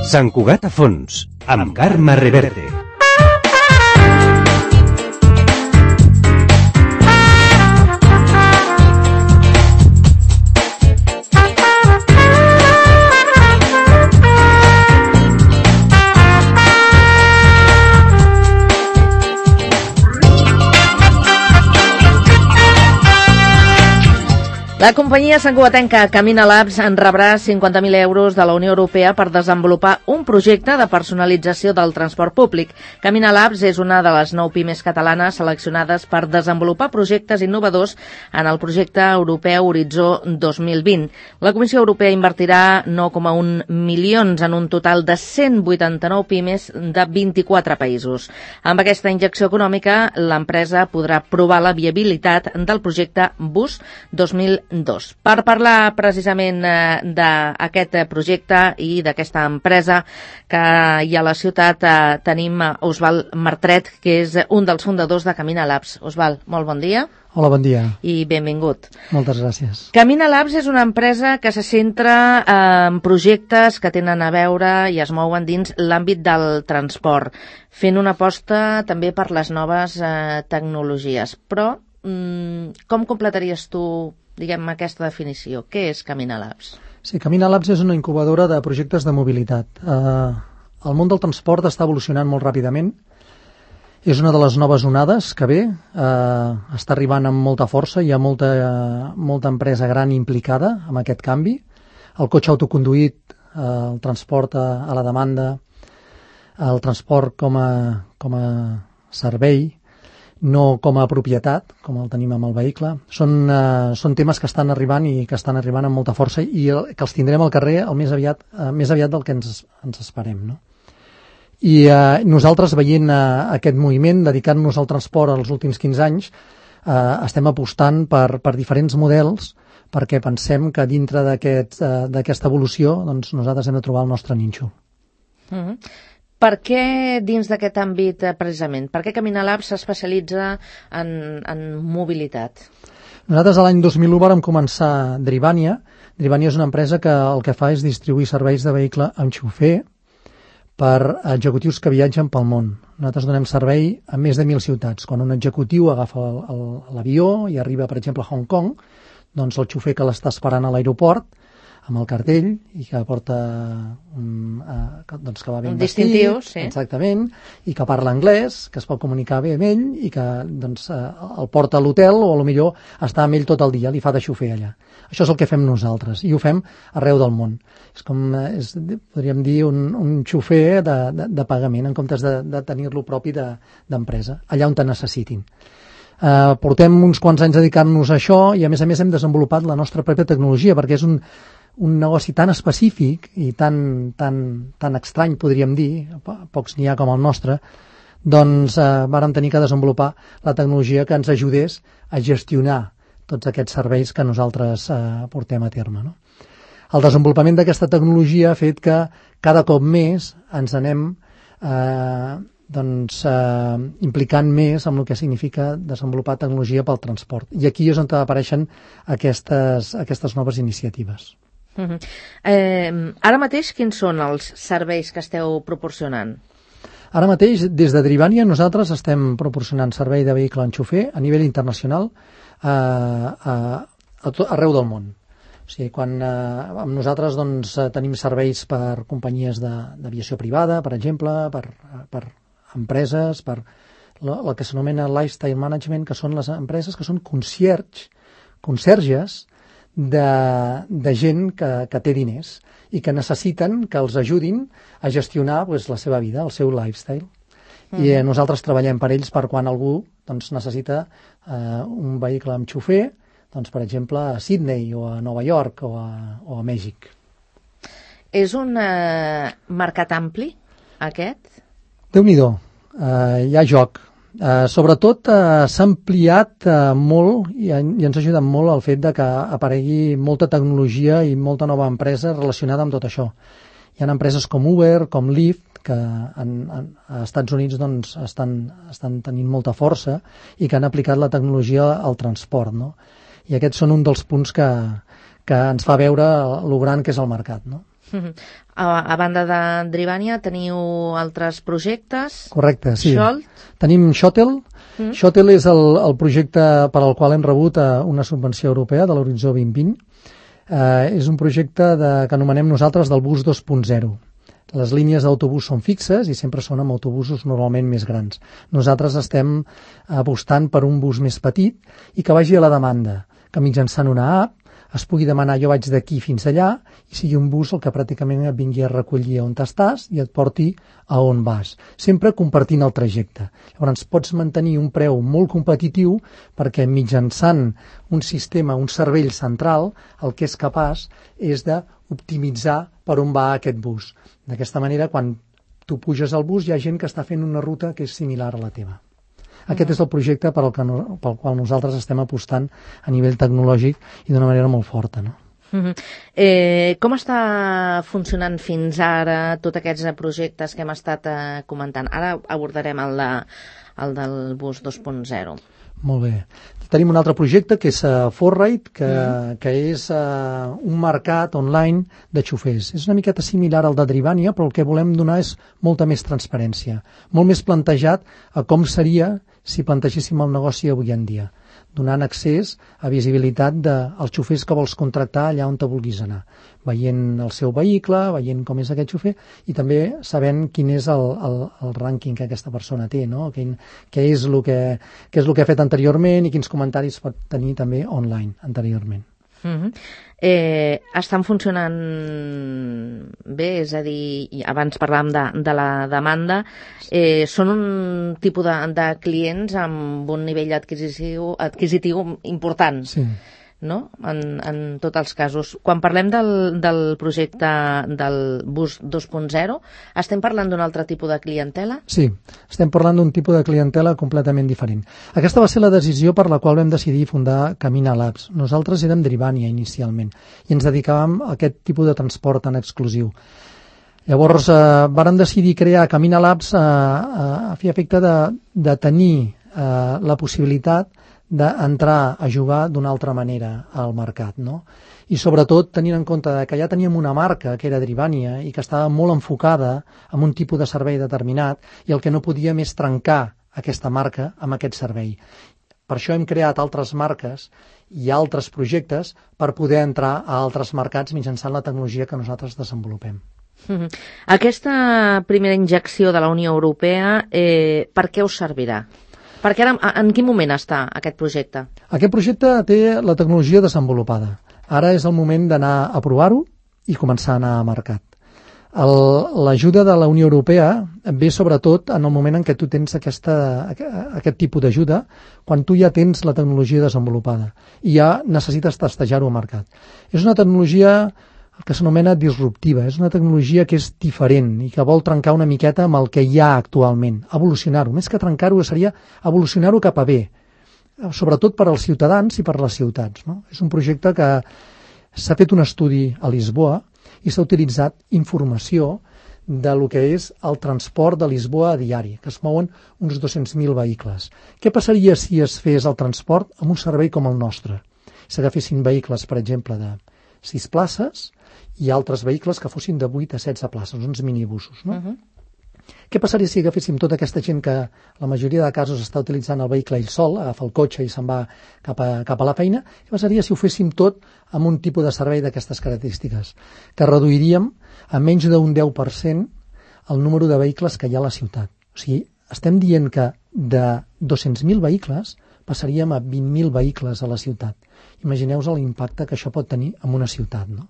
Sant Cugat a fons, amb Carme Reverte. La companyia santcugatenca Camina Labs en rebrà 50.000 euros de la Unió Europea per desenvolupar un projecte de personalització del transport públic. Camina Labs és una de les 9 pimes catalanes seleccionades per desenvolupar projectes innovadors en el projecte europeu Horitzó 2020. La Comissió Europea invertirà 9,1 milions en un total de 189 pimes de 24 països. Amb aquesta injecció econòmica, l'empresa podrà provar la viabilitat del projecte Bus 2020. Per parlar precisament d'aquest projecte i d'aquesta empresa que hi ha a la ciutat, tenim Osvald Martret, que és un dels fundadors de Camina Labs. Osvald, molt bon dia. Hola, bon dia. I benvingut. Moltes gràcies. Camina Labs és una empresa que se centra en projectes que tenen a veure i es mouen dins l'àmbit del transport, fent una aposta també per les noves tecnologies. Però com completaries tu, diguem, aquesta definició? Què és Camina Labs? Sí, Camina Labs és una incubadora de projectes de mobilitat. El món del transport està evolucionant molt ràpidament. És una de les noves onades que ve. Està arribant amb molta força. Hi ha molta empresa gran implicada en aquest canvi. El cotxe autoconduït, el transport a la demanda, el transport com a servei, no com a propietat, com el tenim amb el vehicle. Són temes que estan arribant i que estan arribant amb molta força i que els tindrem al carrer més aviat del que ens esperem, no? I nosaltres, veient aquest moviment, dedicant-nos al transport els últims 15 anys, estem apostant per diferents models perquè pensem que dintre d'aquesta evolució doncs, nosaltres hem de trobar el nostre nínxol. Per què dins d'aquest àmbit, precisament? Per què Camina Labs s'especialitza en mobilitat? Nosaltres l'any 2001 vam començar Drivania. Drivania és una empresa que el que fa és distribuir serveis de vehicle amb xofer per executius que viatgen pel món. Nosaltres donem servei a més de 1.000 ciutats. Quan un executiu agafa l'avió i arriba, per exemple, a Hong Kong, doncs el xofer que l'està esperant a l'aeroport amb el cartell i que porta doncs que va ben vestit, distintiu, sí. Exactament, i que parla anglès, que es pot comunicar bé amb ell i que doncs, el porta a l'hotel o potser està amb ell tot el dia, li fa de xofer allà. Això és el que fem nosaltres i ho fem arreu del món. És com, podríem dir, un xofer de pagament en comptes de tenir-lo propi d'empresa, allà on te necessitin. Portem uns quants anys dedicant-nos a això i a més hem desenvolupat la nostra pròpia tecnologia perquè és un negoci tan específic i tan estrany, podríem dir, pocs n'hi ha com el nostre, doncs vàrem tenir que desenvolupar la tecnologia que ens ajudés a gestionar tots aquests serveis que nosaltres portem a terme, no? El desenvolupament d'aquesta tecnologia ha fet que cada cop més ens anem implicant més en el que significa desenvolupar tecnologia pel transport. I aquí és on apareixen aquestes noves iniciatives. Ara mateix, quins són els serveis que esteu proporcionant? Ara mateix, des de Drivania, nosaltres estem proporcionant servei de vehicle en xofer a nivell internacional arreu del món. O sigui, quan amb nosaltres doncs, tenim serveis per companyies d'aviació privada, per exemple, per empreses, per el que s'anomena lifestyle management, que són les empreses que són conserges de gent que té diners i que necessiten que els ajudin a gestionar la seva vida, el seu lifestyle. I nosaltres treballem per ells per quan algú doncs, necessita un vehicle amb xofer, doncs, per exemple, a Sydney o a Nova York o a Mèxic. És un mercat ampli, aquest? Déu-n'hi-do, hi ha joc. Sobretot s'ha ampliat molt i ens ha ajudat molt el fet de que aparegui molta tecnologia i molta nova empresa relacionada amb tot això. Hi ha empreses com Uber, com Lyft, que als Estats Units doncs, estan tenint molta força i que han aplicat la tecnologia al transport, no? I aquests són un dels punts que que ens fa veure lo gran que és el mercat, no? A banda de Drivania, teniu altres projectes? Correcte, sí. Xolt? Tenim Shuttle. Shuttle és el projecte per al qual hem rebut una subvenció europea de l'Horitzó 2020. És un projecte que anomenem nosaltres del bus 2.0. Les línies d'autobús són fixes i sempre són amb autobusos normalment més grans. Nosaltres estem apostant per un bus més petit i que vagi a la demanda, que mitjançant una app es pugui demanar jo vaig d'aquí fins allà i sigui un bus el que pràcticament et vingui a recollir on estàs i et porti a on vas, sempre compartint el trajecte. Llavors pots mantenir un preu molt competitiu perquè mitjançant un sistema, un cervell central, el que és capaç és d'optimitzar per on va aquest bus. D'aquesta manera, quan tu puges al bus, hi ha gent que està fent una ruta que és similar a la teva. Aquest és el projecte pel qual nosaltres estem apostant a nivell tecnològic i d'una manera molt forta, no? Com està funcionant fins ara tots aquests projectes que hem estat comentant? Ara abordarem el del bus 2.0. Molt bé. Tenim un altre projecte que és ForRide, que és un mercat online de xofers. És una miqueta similar al de Drivania, però el que volem donar és molta més transparència, molt més plantejat a com seria si plantegéssim el negoci avui en dia, donant accés a visibilitat dels xofers que vols contractar allà on te vulguis anar, veient el seu vehicle, veient com és aquest xofer i també sabent quin és el rànquing que aquesta persona té, no? Què és el que ha fet anteriorment i quins comentaris pot tenir també online anteriorment. Estan funcionant bé, és a dir, abans parlàvem de la demanda, són un tipus de clients amb un nivell adquisitiu important, sí, no? En tots els casos. Quan parlem del projecte del bus 2.0, estem parlant d'un altre tipus de clientela? Sí, estem parlant d'un tipus de clientela completament diferent. Aquesta va ser la decisió per la qual vam decidir fundar Camina Labs. Nosaltres érem Drivania inicialment i ens dedicàvem a aquest tipus de transport tan exclusiu. Llavors vàrem decidir crear Camina Labs a fi efecte de tenir la possibilitat d'entrar a jugar d'una altra manera al mercat, no? I sobretot tenint en compte que ja teníem una marca que era Drivania i que estava molt enfocada en un tipus de servei determinat i el que no podíem és trencar aquesta marca amb aquest servei. Per això hem creat altres marques i altres projectes per poder entrar a altres mercats mitjançant la tecnologia que nosaltres desenvolupem. Aquesta primera injecció de la Unió Europea, per què us servirà? Perquè ara, en quin moment està aquest projecte? Aquest projecte té la tecnologia desenvolupada. Ara és el moment d'anar a provar-ho i començar a anar a mercat. L'ajuda de la Unió Europea ve sobretot en el moment en què tu tens aquest tipus d'ajuda, quan tu ja tens la tecnologia desenvolupada i ja necessites testejar-ho al mercat. És una tecnologia que s'anomena disruptiva, és una tecnologia que és diferent i que vol trencar una miqueta amb el que hi ha actualment, evolucionar-ho. Més que trencar-ho seria evolucionar-ho cap a bé, sobretot per als ciutadans i per les ciutats, no? És un projecte que s'ha fet un estudi a Lisboa i s'ha utilitzat informació de lo que és el transport de Lisboa a diari, que es mouen uns 200.000 vehicles. Què passaria si es fes el transport amb un servei com el nostre? Si agafessin vehicles, per exemple, de 6 places i altres vehicles que fossin de 8 a 16 places, uns minibusos, no? Què passaria si agaféssim tota aquesta gent que la majoria de casos està utilitzant el vehicle ell sol, agafa el cotxe i se'n va cap a la feina? Què passaria si ho féssim tot amb un tipus de servei d'aquestes característiques? Que reduiríem a menys d'un 10% el número de vehicles que hi ha a la ciutat. O sigui, estem dient que de 200.000 vehicles passaríem a 20.000 vehicles a la ciutat. Imagineu-vos l'impacte que això pot tenir en una ciutat, no?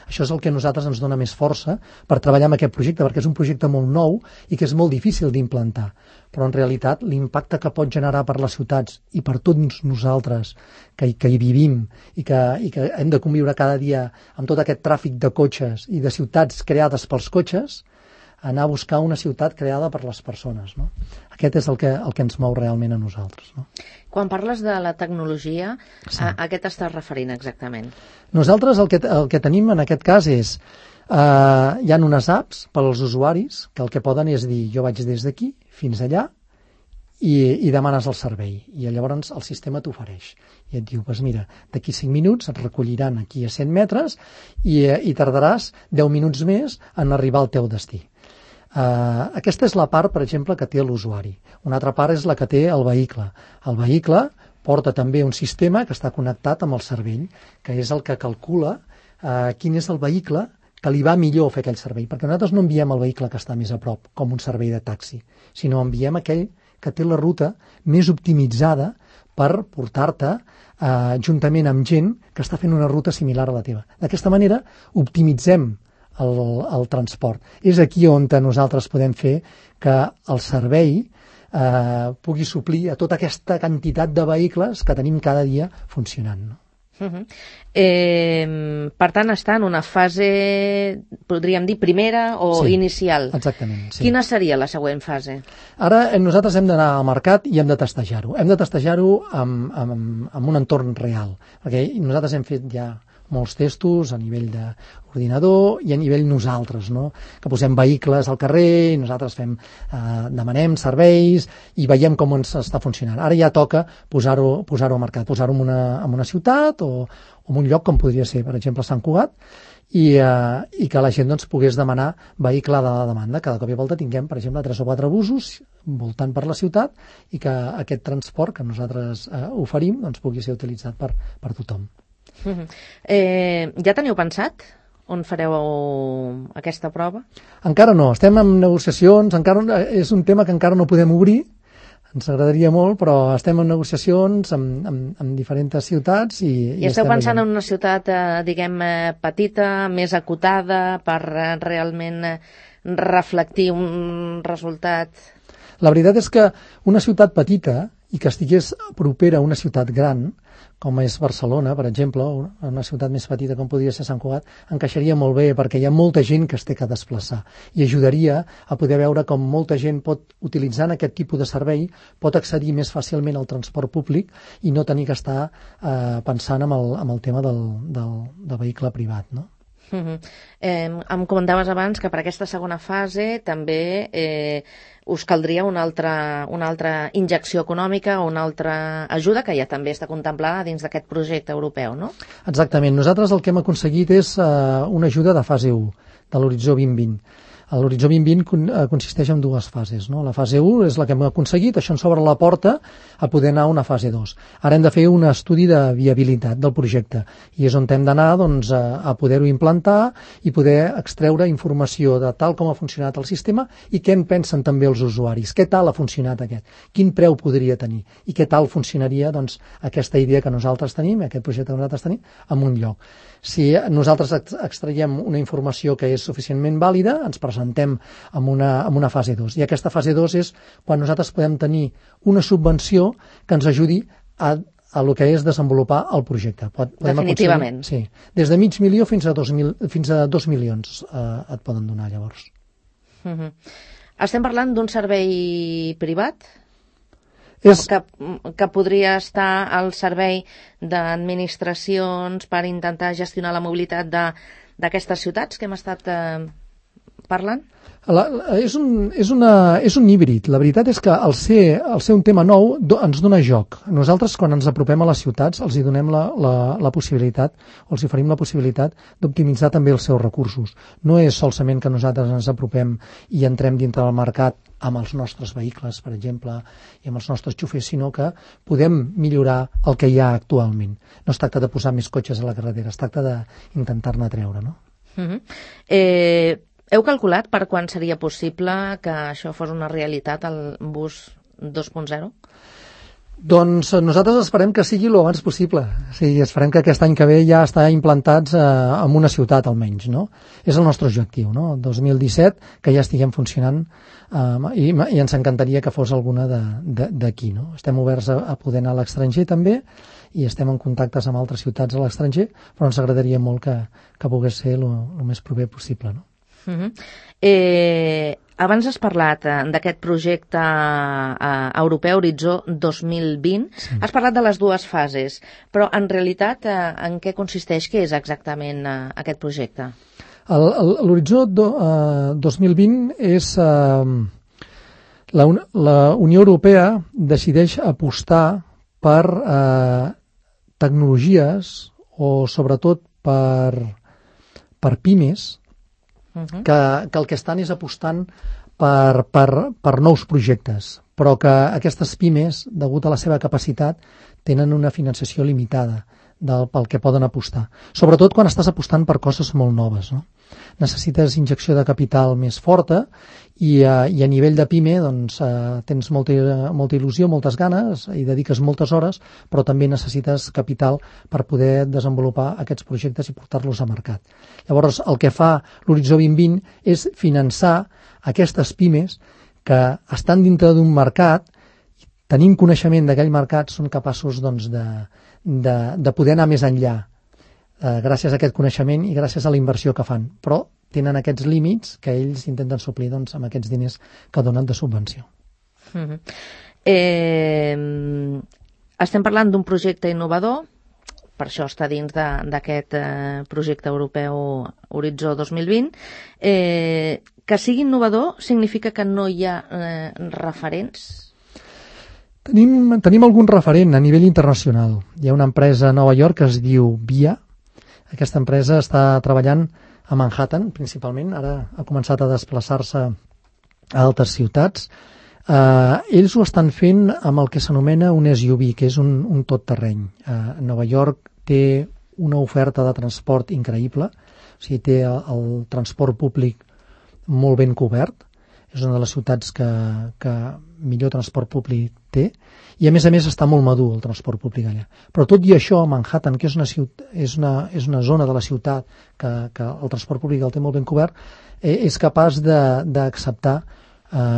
Això és el que a nosaltres ens dona més força per treballar amb aquest projecte, perquè és un projecte molt nou i que és molt difícil d'implantar. Però en realitat l'impacte que pot generar per les ciutats i per tots nosaltres que hi vivim i que hem de conviure cada dia amb tot aquest tràfic de cotxes i de ciutats creades pels cotxes, anar a buscar una ciutat creada per les persones, no? Aquest és el que ens mou realment a nosaltres, no? Quan parles de la tecnologia, sí, a què t'estàs referint exactament? Nosaltres el que tenim en aquest cas és hi ha unes apps per als usuaris que el que poden és dir jo vaig des d'aquí fins allà i demanes el servei. I llavors el sistema t'ofereix. I et diu, doncs mira, d'aquí 5 minuts et recolliran aquí a 100 metres i tardaràs 10 minuts més en arribar al teu destí. Aquesta és la part, per exemple, que té l'usuari. Una altra part és la que té el vehicle. El vehicle porta també un sistema que està connectat amb el cervell, que és el que calcula quin és el vehicle que li va millor fer aquell servei, perquè nosaltres no enviem el vehicle que està més a prop, com un servei de taxi, sinó enviem aquell que té la ruta més optimitzada per portar-te juntament amb gent que està fent una ruta similar a la teva. D'aquesta manera optimitzem el transport. És aquí on nosaltres podem fer que el servei pugui suplir a tota aquesta quantitat de vehicles que tenim cada dia funcionant, no? Per tant, està en una fase, podríem dir, primera o inicial. Exactament, sí. Quina seria la següent fase? Ara nosaltres hem d'anar al mercat i hem de testejar-ho. Hem de testejar-ho amb un entorn real, perquè nosaltres hem fet ja molts testos a nivell d'ordinador i a nivell nosaltres, no? Que posem vehicles al carrer i nosaltres demanem serveis i veiem com ens està funcionant. Ara ja toca posar-ho al mercat, posar-ho en una ciutat o en un lloc com podria ser, per exemple, Sant Cugat, i que la gent pogués demanar vehicle de la demanda. Cada cop i volta tinguem, per exemple, 3 o 4 busos voltant per la ciutat i que aquest transport que nosaltres oferim pugui ser utilitzat per tothom. Ja teniu pensat on fareu aquesta prova? Encara no, estem en negociacions, és un tema que encara no podem obrir, ens agradaria molt, però estem en negociacions amb diferents ciutats i esteu pensant en una ciutat, diguem, petita, més acotada, per realment reflectir un resultat? La veritat és que una ciutat petita i que estigués propera a una ciutat gran, com és Barcelona, per exemple, una ciutat més petita com podria ser Sant Cugat, encaixaria molt bé perquè hi ha molta gent que es té que desplaçar i ajudaria a poder veure com molta gent utilitzant aquest tipus de servei pot accedir més fàcilment al transport públic i no tenir que estar pensant en el tema del vehicle privat, no? Em comentaves abans que per aquesta segona fase també us caldria una altra injecció econòmica o una altra ajuda que ja també està contemplada dins d'aquest projecte europeu, no? Exactament. Nosaltres el que hem aconseguit és una ajuda de fase 1, de l'Horitzó 2020. L'Horitzó 2020 consisteix en 2 fases, no? La fase 1 és la que hem aconseguit, això ens obre la porta a poder anar a una fase 2. Ara hem de fer un estudi de viabilitat del projecte i és on hem d'anar a poder-ho implantar i poder extreure informació de tal com ha funcionat el sistema i què en pensen també els usuaris, què tal ha funcionat aquest, quin preu podria tenir i què tal funcionaria aquesta idea que nosaltres tenim, aquest projecte que nosaltres tenim, en un lloc. Si nosaltres extraiem una informació que és suficientment vàlida, ens presentem en una fase 2. I aquesta fase 2 és quan nosaltres podem tenir una subvenció que ens ajudi a el que és desenvolupar el projecte. Definitivament. Sí. Des de $500,000 fins a 2 milions et poden donar llavors. Estem parlant d'un servei privat? Que podria estar al servei d'administracions per intentar gestionar la mobilitat d'aquestes ciutats que hem estat parlant? És un híbrid. La veritat és que al ser un tema nou ens dona joc. Nosaltres, quan ens apropem a les ciutats, els hi donem la possibilitat, o els oferim la possibilitat d'optimitzar també els seus recursos. No és solament que nosaltres ens apropem i entrem dintre del mercat amb els nostres vehicles, per exemple, i amb els nostres xofers, sinó que podem millorar el que hi ha actualment. No es tracta de posar més cotxes a la carretera, es tracta d'intentar-ne treure, no? Heu calculat per quan seria possible que això fos una realitat, el bus 2.0? Doncs nosaltres esperem que sigui el abans possible. Sí, esperem que aquest any que ve ja està implantats en una ciutat almenys, no? És el nostre objectiu, no? El 2017, que ja estiguem funcionant i ens encantaria que fos alguna d'aquí, no? Estem oberts a poder anar a l'estranger també i estem en contactes amb altres ciutats a l'estranger, però ens agradaria molt que pogués ser el més proper possible, no? Abans has parlat d'aquest projecte europeu Horitzó 2020. Sí. Has parlat de les 2 fases, però en realitat en què consisteix? Què és exactament aquest projecte? L'Horitzó 2020 és La Unió Europea decideix apostar per tecnologies o sobretot per pimes que el que estan és apostant per nous projectes, però que aquestes pimes, degut a la seva capacitat, tenen una finançació limitada pel que poden apostar. Sobretot quan estàs apostant per coses molt noves, no? Necessites injecció de capital més forta i a nivell de PIME doncs, tens molta il·lusió, moltes ganes i dediques moltes hores, però també necessites capital per poder desenvolupar aquests projectes i portar-los a mercat. Llavors, el que fa l'Horitzó 2020 és finançar aquestes pimes que estan dintre d'un mercat, tenint coneixement d'aquell mercat, són capaços doncs, de poder anar més enllà gràcies a aquest coneixement i gràcies a la inversió que fan, però tenen aquests límits que ells intenten suplir doncs, amb aquests diners que donen de subvenció. Estem parlant d'un projecte innovador, per això està dins d'aquest projecte europeu Horitzó 2020. Que sigui innovador significa que no hi ha referents? Tenim algun referent a nivell internacional. Hi ha una empresa a Nova York que es diu VIA. Aquesta empresa està treballant a Manhattan, principalment. Ara ha començat a desplaçar-se a altres ciutats. Ells ho estan fent amb el que s'anomena un SUV, que és un tot-terreny. Nova York té una oferta de transport increïble, o sigui, té el transport públic molt ben cobert. És una de les ciutats que millor transport públic té, i a més està molt madur el transport públic allà. Però tot i això, Manhattan, que és una zona de la ciutat que el transport públic el té molt ben cobert, és capaç d'acceptar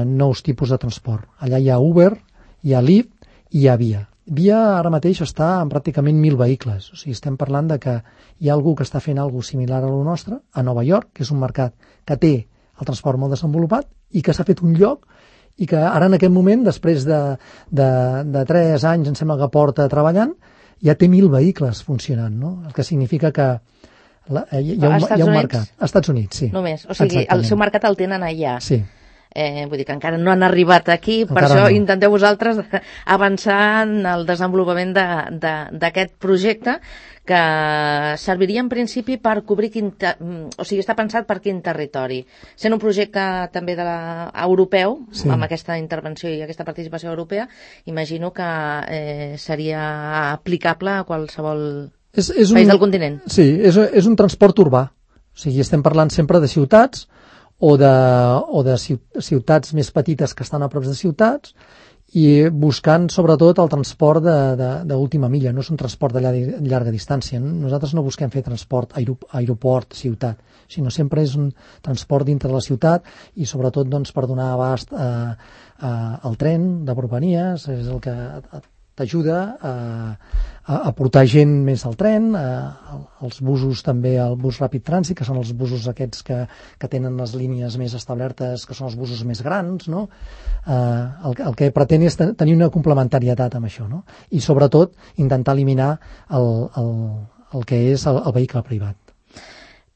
nous tipus de transport. Allà hi ha Uber, hi ha Lyft i hi ha Via. Via ara mateix està amb pràcticament 1.000 vehicles. O sigui, estem parlant de que hi ha algú que està fent alguna cosa similar a lo nostre, a Nova York, que és un mercat que té el transport molt desenvolupat i que s'ha fet un lloc i que ara en aquest moment, després de 3 anys, em sembla que porta treballant, ja té 1.000 vehicles funcionant, no? El que significa que hi ha un mercat. Als Estats Units, sí. Només, o sigui, el seu mercat el tenen allà. Sí. Vull dir que encara no han arribat aquí, per això intenteu vosaltres avançar en el desenvolupament d'aquest projecte que serviria en principi per cobrir o sigui, està pensat per quin territori. Sent un projecte també europeu, sí, amb aquesta intervenció i aquesta participació europea, imagino que seria aplicable a qualsevol país del continent. Sí, és un transport urbà. O sigui, estem parlant sempre de ciutats o de ciutats més petites que estan a prop de ciutats i buscant sobretot el transport d'última milla, no és un transport de llarga distància. Nosaltres no busquem fer transport aeroport-ciutat, sinó sempre és un transport dintre de la ciutat i sobretot doncs, per donar abast al tren de Propanies, és el que t'ajuda a portar gent més al tren, els busos també, el bus ràpid trànsit, que són els busos aquests que tenen les línies més establertes, que són els busos més grans, no? El que pretén és tenir una complementarietat amb això, no? I sobretot intentar eliminar el que és el vehicle privat.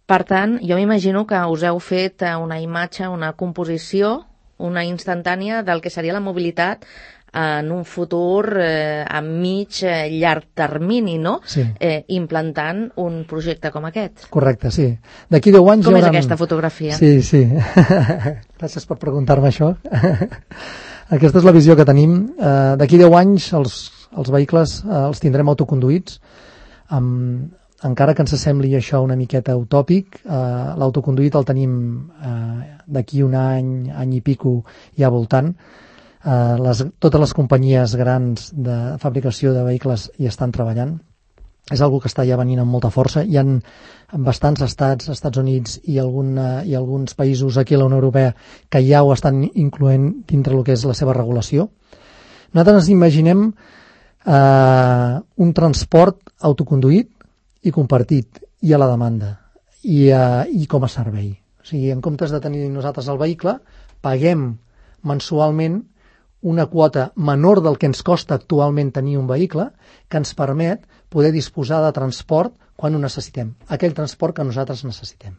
Per tant, jo m'imagino que us heu fet una imatge, una composició, una instantània del que seria la mobilitat en un futur a llarg termini, no? Sí. Implantant un projecte com aquest. Correcte, sí. D'aquí 10 anys com és aquesta fotografia? Sí. Gràcies per preguntar-me això. Aquesta és la visió que tenim. D'aquí 10 anys els vehicles els tindrem autoconduïts. Encara que ens sembli això una miqueta utòpic, l'autoconduït el tenim d'aquí un any i pico ja voltant. Totes les companyies grans de fabricació de vehicles hi estan treballant. És algo que està ja venint amb molta força. Hi ha bastants Estats Units i alguns països aquí a la Unió Europea que ja ho estan incloent dintre el que és la seva regulació. Nosaltres ens imaginem un transport autoconduït i compartit i a la demanda i com a servei. O sigui, en comptes de tenir nosaltres el vehicle, paguem mensualment una quota menor del que ens costa actualment tenir un vehicle, que ens permet poder disposar de transport quan ho necessitem, aquell transport que nosaltres necessitem.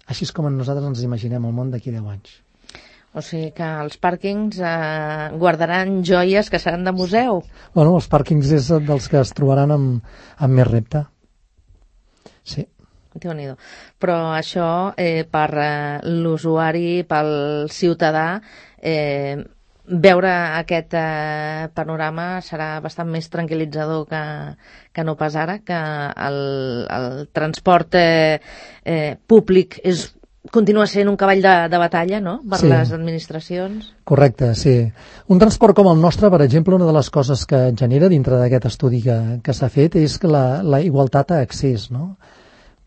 Així és com nosaltres ens imaginem el món d'aquí 10 anys. O sigui que els pàrquings guardaran joies que seran de museu. Bueno, els pàrquings és dels que es trobaran amb més repte. Sí. Déu-n'hi-do. Però això per l'usuari, pel ciutadà, veure aquest panorama serà bastant més tranquil·litzador que no pas ara, que el transport públic continua sent un cavall de batalla, no?, per les administracions. Correcte, sí. Un transport com el nostre, per exemple, una de les coses que genera dintre d'aquest estudi que s'ha fet és que la igualtat a accés, no?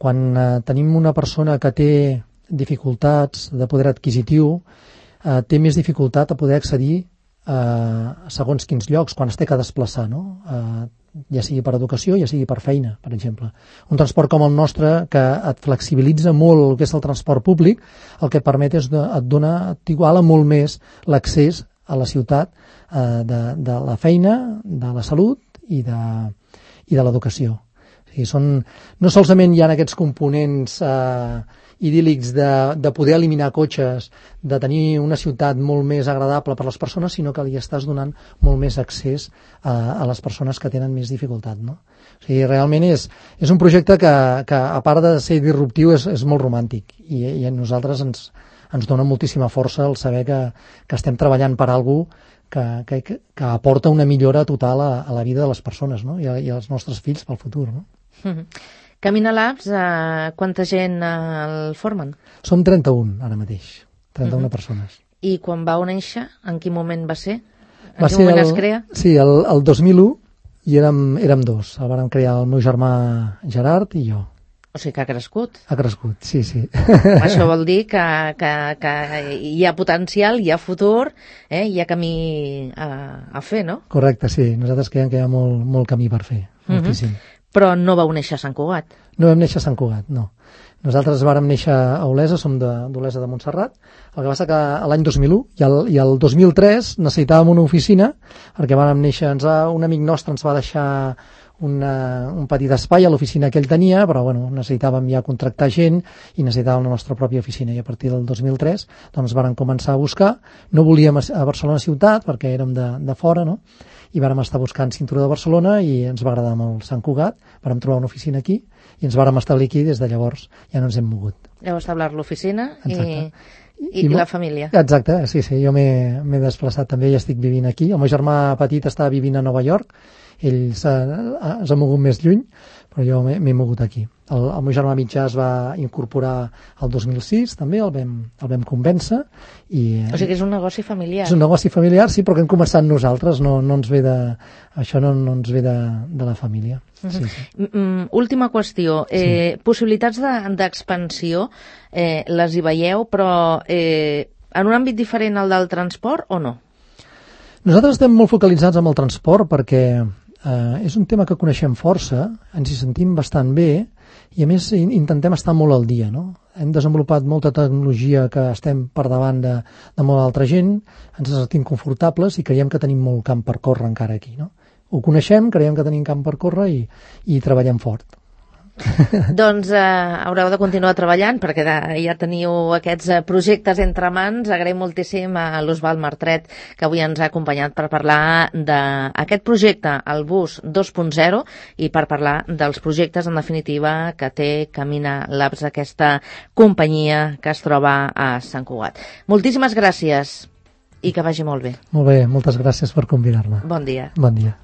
Quan tenim una persona que té dificultats de poder adquisitiu, té més dificultat a poder accedir a segons quins llocs, quan es té que desplaçar, no? Ja sigui per educació, ja sigui per feina, per exemple. Un transport com el nostre, que et flexibilitza molt el que és el transport públic, el que et permet és t'iguala molt més l'accés a la ciutat de la feina, de la salut i de l'educació. O sigui, no solament hi ha aquests components idíl·lics de poder eliminar cotxes, de tenir una ciutat molt més agradable per a les persones, sinó que li estàs donant molt més accés a les persones que tenen més dificultat, no? O sigui, realment és un projecte que a part de ser disruptiu, és molt romàntic i a nosaltres ens dona moltíssima força el saber que estem treballant per alguna cosa que aporta una millora total a la vida de les persones, no? I als nostres fills pel futur, no? Camina Labs, quanta gent el formen? Som 31 ara mateix, 31 persones. I quan vau néixer, en quin moment va ser? En quin moment es crea? Sí, el 2001, i érem dos. El vàrem crear el meu germà Gerard i jo. O sigui que ha crescut. Ha crescut, sí. Això vol dir que hi ha potencial, hi ha futur, hi ha camí a fer, no? Correcte, sí. Nosaltres creiem que hi ha molt camí per fer, moltíssim. Però no vau néixer a Sant Cugat. No vam néixer a Sant Cugat, no. Nosaltres vàrem néixer a Olesa, som d'Olesa de Montserrat. El que passa que l'any 2001 i el 2003 necessitàvem una oficina, perquè vàrem néixer, un amic nostre ens va deixar un petit espai a l'oficina que ell tenia, però bueno, necessitàvem ja contractar gent i necessitàvem la nostra pròpia oficina, i a partir del 2003 doncs vàrem començar a buscar. No volíem a Barcelona ciutat perquè érem de fora, no? I vàrem estar buscant cinturó de Barcelona i ens va agradar molt Sant Cugat, vàrem trobar una oficina aquí i ens vàrem establir aquí. Des de llavors ja no ens hem mogut. Heu establert l'oficina i la família. Exacte, sí, jo m'he desplaçat també i estic vivint aquí. El meu germà petit està vivint a Nova York, ell s'ha mogut més lluny, però jo m'he mogut aquí. El meu germà mitjà es va incorporar el 2006, també, el vam convèncer. O sigui que és un negoci familiar. És un negoci familiar, sí, però que hem començat nosaltres, no ens ve això no ens ve de la família. Sí. Última qüestió, possibilitats d'expansió les hi veieu, però en un àmbit diferent al del transport o no? Nosaltres estem molt focalitzats amb el transport perquè és un tema que coneixem força, ens hi sentim bastant bé i a més intentem estar molt al dia, no? Hem desenvolupat molta tecnologia que estem per davant de molta altra gent, ens sentim confortables i creiem que tenim molt camp per córrer encara aquí, no? Ho coneixem, creiem que tenim camp per córrer i treballem fort. Doncs haureu de continuar treballant perquè ja teniu aquests projectes entre mans. Agraïm moltíssim a l'Osvald Martret que avui ens ha acompanyat per parlar d'aquest projecte, el Bus 2.0, i per parlar dels projectes en definitiva que té Camina Labs, aquesta companyia que es troba a Sant Cugat. Moltíssimes gràcies i que vagi molt bé. Molt bé, moltes gràcies per convidar-me. Bon dia. Bon dia.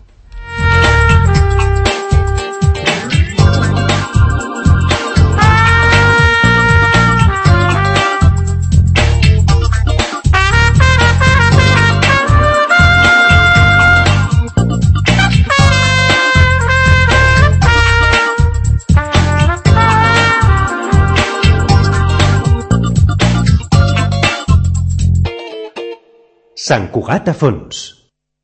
Sant Cugat a fons.